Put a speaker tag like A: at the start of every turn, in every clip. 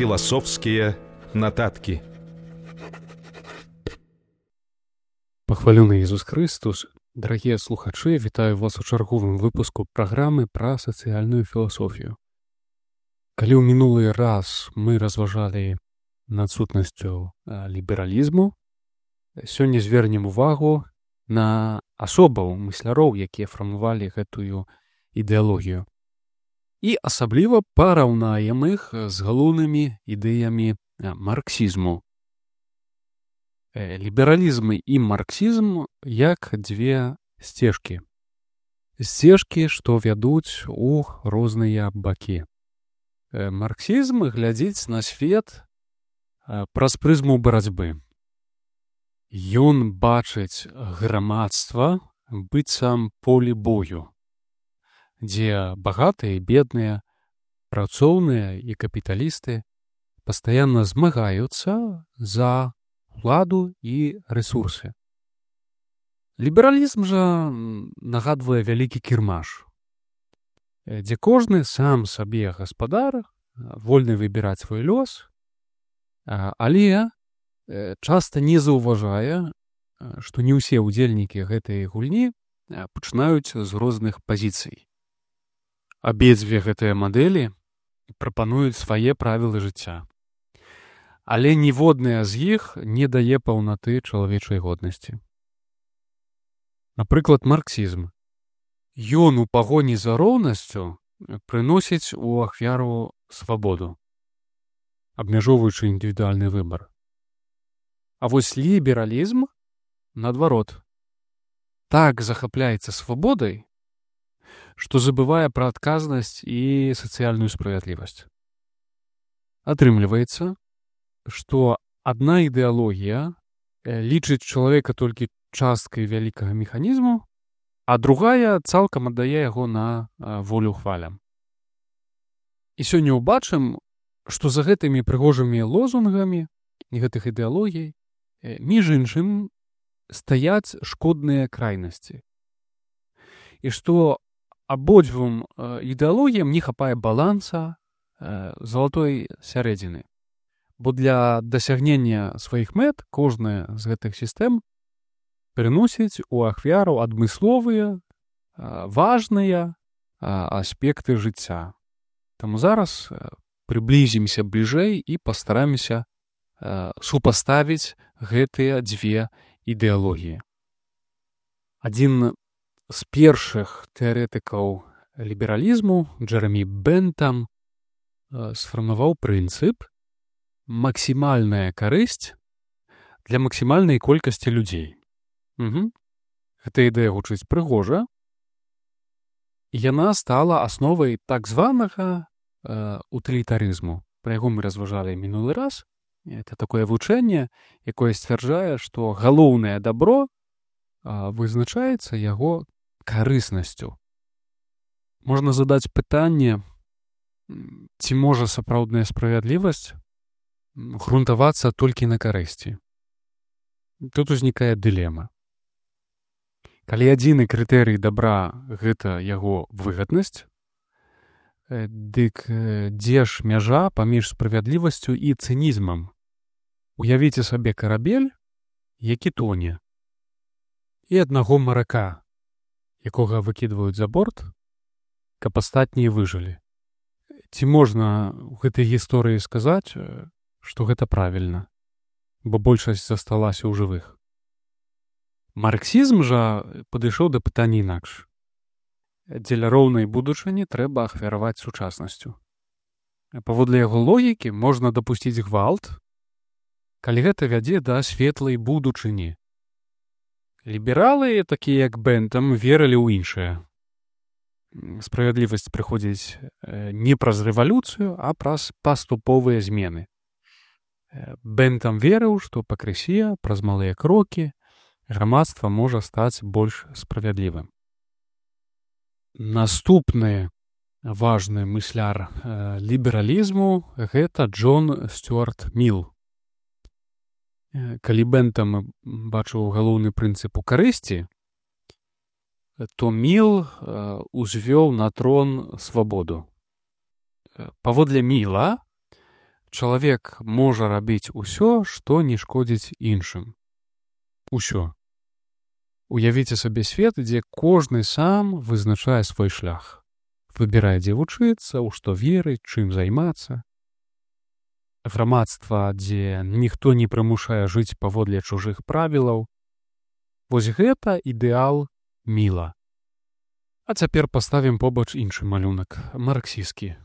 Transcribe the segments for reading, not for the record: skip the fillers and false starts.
A: Філасофскія нататкі.
B: Пахвалёны Ісус Христос, дарагія слухачы, вітаю вас у чарговым выпуску праграмы пра сацыяльную філасофію. Калі ў мінулы раз мы разважалі над сутнасцю лібералізму, сёння звернем увагу на асобаў мысляроў, якія фармавалі гэтую ідэалогію. І асабліва параўнаем іх з галоўнымі ідэямі марксізму. Лібералізм і марксізм як дзве сцежкі. Сцежкі, што вядуць у розныя бакі. Марксізм глядзіць на свет праз прызму барацьбы. Ён бачыць грамадства быццам поле бою, дзе багатыя і бедныя, працоўныя і капіталісты пастаянна змагаюцца за уладу і рэсурсы. Лібералізм жа нагадвае вялікі кірмаш, дзе кожны сам сабе гаспадар, вольны выбіраць свой лёс, але часта не заўважае, што не ўсе ўдзельнікі гэтай гульні пачынаюць з розных пазіцый. Абедзве гэтыя мадэлі прапануюць свае правілы жыцця. Але ніводная з іх не дае паўнаты чалавечай годнасці. Напрыклад, марксізм. Ён у пагоні за роўнасцю прыносіць у ахвяру свабоду, абмяжоўваючы індывідуальны выбар. А вось лібералізм, наадварот, так захапляецца свабодай, што забывае пра адказнасць і сацыяльную справядлівасць. Атрымліваецца, што адна ідэалогія лічыць чалавека толькі часткай вялікага механізму, а другая цалкам аддае яго на волю хвалям. І сёння ўбачым, што за гэтымі прыгожымі лозунгамі гэтых ідэалогій, між іншым, стаяць шкодныя крайнасці. І што абодвум ідэалогіям не хапае баланса, залатой сярэдзіны. Бо для дасягнення сваіх мэт кожная з гэтых сістэм прыносіць у ахвяру адмысловыя, важныя аспекты жыцця. Таму зараз прыблізімся бліжэй і пастарамся супаставіць гэтыя дзве ідэалогіі. Адзін з першых тэарэтыкаў лібералізму, Джэрамі Бентам, сфармаваў прынцып максімальная карысць для максімальнай колькасці людзей. Гэта ідэя гучыць прыгожа. Яна стала асновай так званага утылітарызму. Пра яго мы разважалі мінулы раз. Это такое вучэнне, якое сцвярджае, што галоўнае дабро вызначаецца яго карыснасцю. Можна задаць пытанне, ці можа сапраўдная справядлівасць грунтавацца толькі на карысці. Тут узнікае дылема. Калі адзіны крытэрый дабра — гэта яго выгаднасць, дык дзе ж мяжа паміж справядлівасцю і цынізмам? Уявіце сабе карабель, які тоне, і аднаго марака, якога выкідваюць за борт, каб астатнія выжылі. Ці можна ў гэтай гісторыі сказаць, што гэта правільна, бо большасць засталася ў жывых? Марксізм жа падышоў да пытання інакш. Дзеля роўнай будучыні трэба ахвяраваць сучаснасцю. Паводле яго логікі можна дапусціць гвалт, калі гэта вядзе да светлай будучыні. Лібералы, такія як Бентам, верылі ў іншае. Справядлівасць прыходзіць не праз рэвалюцыю, а праз паступовыя змены. Бентам верыў, што пакрысе, праз малыя крокі, грамадства можа стаць больш справядлівым. Наступны важны мысляр лібералізму — гэта Джон Стюарт Міл. Калі Бентам бачыў галоўны прынцып у карысці, то Міл узвёў на трон свабоду. Паводле Міла, чалавек можа рабіць усё, што не шкодзіць іншым. Усё. Уявіце сабе свет, дзе кожны сам вызначае свой шлях. Выбірае, дзе вучыцца, у што верыць, чым займацца. Грамадства, дзе ніхто не прымушае жыць паводле чужых правілаў. Вось гэта ідэал Міла. А цяпер паставім побач іншы малюнак, марксісцкі.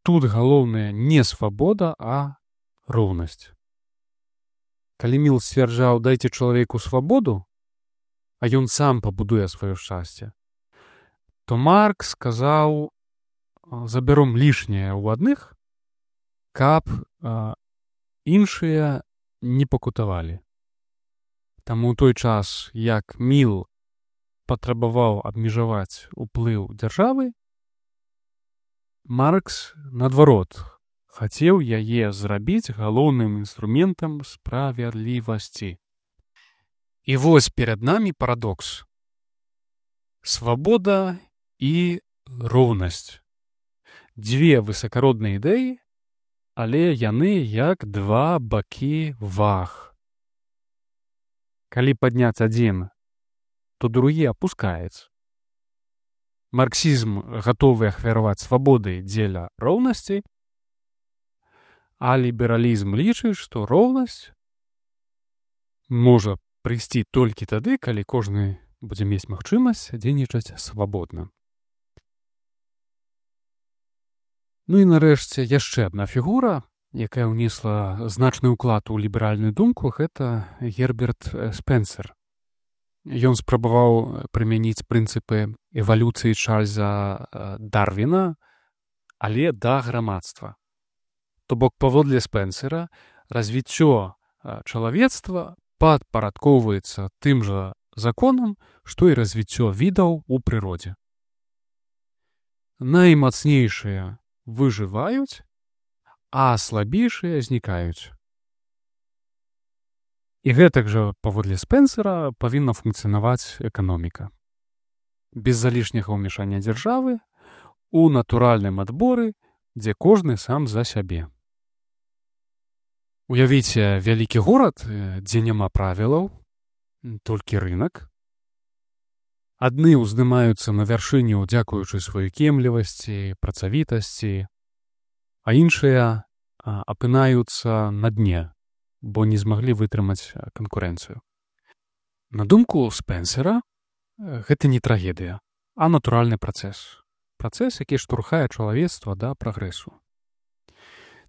B: Тут галоўнае не свабода, а роўнасць. Калі Міл сцвярджаў «дайце чалавеку свабоду», а ён сам пабудуе сваё шчасце, то Маркс сказаў «забяром лішняе ў адных, каб іншыя не пакутавалі». Таму ў той час, як Міл патрабаваў абмежаваць уплыў дзяржавы, Маркс, наадварот, хацеў яе зрабіць галоўным інструментам справядлівасці. І вось перад намі парадокс. Свабода і роўнасць. Дзве высакародныя ідэі, але яны як два бакі ваг. Калі падняць адзін, то другі апускаецца. Марксізм гатовы ахвяраваць свабоды дзеля роўнасці, а лібералізм лічыць, што роўнасць можа прыйсці толькі тады, калі кожны будзе мець магчымасць дзейнічаць свабодна. Ну і нарэшце яшчэ адна фігура, якая ўнесла значны ўклад у ліберальную думку, гэта Герберт Спенсер. Ён спрабаваў прымяніць прынцыпы эвалюцыі Чарльза Дарвіна, але да грамадства. То бок, паводле Спенсера, развіццё чалавецтва падпарадкоўваецца тым жа законам, што і развіццё відаў у прыродзе. Наймацнейшыя выжываюць, а слабейшыя знікаюць. І гэтак жа, паводле Спенсера, павінна функцыянаваць эканоміка. Без залішняга ўмешання дзяржавы, у натуральным адборы, дзе кожны сам за сябе. Уявіце вялікі горад, дзе няма правілаў, толькі рынак. Адны ўздымаюцца на вяршыню, дзякуючы сваёй кемлівасці, працавітасці, а іншыя апынаюцца на дне, бо не змаглі вытрымаць канкурэнцыю. На думку Спенсера, гэта не трагедыя, а натуральны працэс. Працэс, які штурхае чалавецтва да прагрэсу.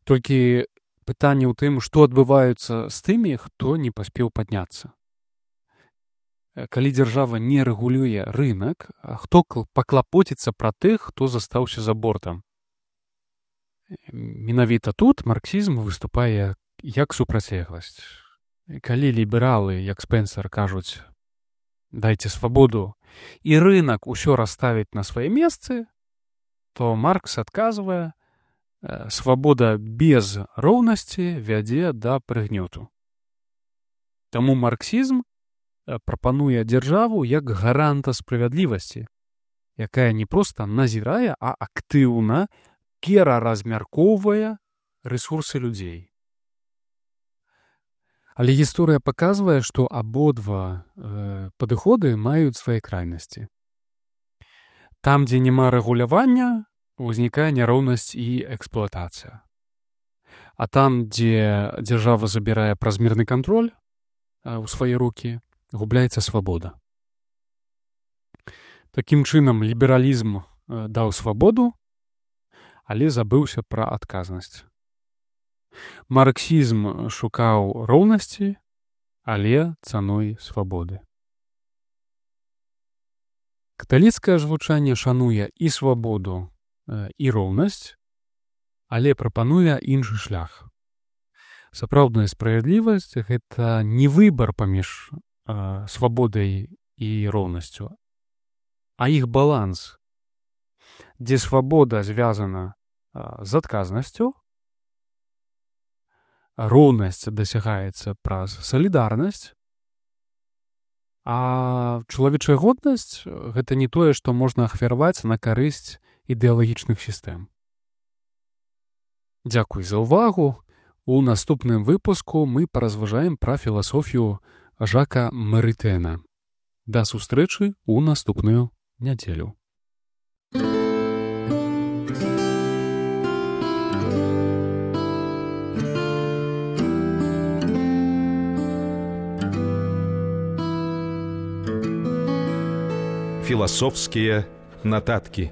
B: Толькі пытанне ў тым, што адбываецца з тымі, хто не паспеў падняцца. Калі дзяржава не рэгулюе рынак, хто паклапоціцца пра тых, хто застаўся за бортам? Менавіта тут марксізм выступае як супрацьлегласць. Калі лібералы, як Спенсер, кажуць «дайце свабоду» і рынак усё расставіць на свае месцы, то Маркс адказвае «свабода без роўнасці вядзе да прыгнёту». Таму марксізм прапануе дзяржаву як гаранта справядлівасці, якая не проста назірае, а актыўна пераразмяркоўвае рэсурсы людзей. Але гісторыя паказвае, што абодва падыходы маюць свае крайнасці. Там, дзе няма рэгулявання, узнікае няроўнасць і эксплуатацыя. А там, дзе дзяржава забірае празмерны кантроль у свае рукі, губляецца свабода. Такім чынам, лібералізм даў свабоду, але забыўся пра адказнасць. Марксізм шукаў роўнасці, але цаной свабоды. Каталіцкае ж вучанне шануе і свабоду, і роўнасць, але прапануе іншы шлях. Сапраўдная справядлівасць – гэта не выбар паміж свабодай і роўнасцю, а іх баланс, дзе свабода звязана з адказнасцю, роўнасць дасягаецца праз салідарнасць, а чалавечая годнасць – гэта не тое, што можна ахвяраваць на карысць ідэалагічных сістэм. Дзякуй за ўвагу. У наступным выпуску мы паразважаем пра філасофію Жака Марытэна. Да сустрэчы ў наступную нядзелю.
A: Философские нотатки.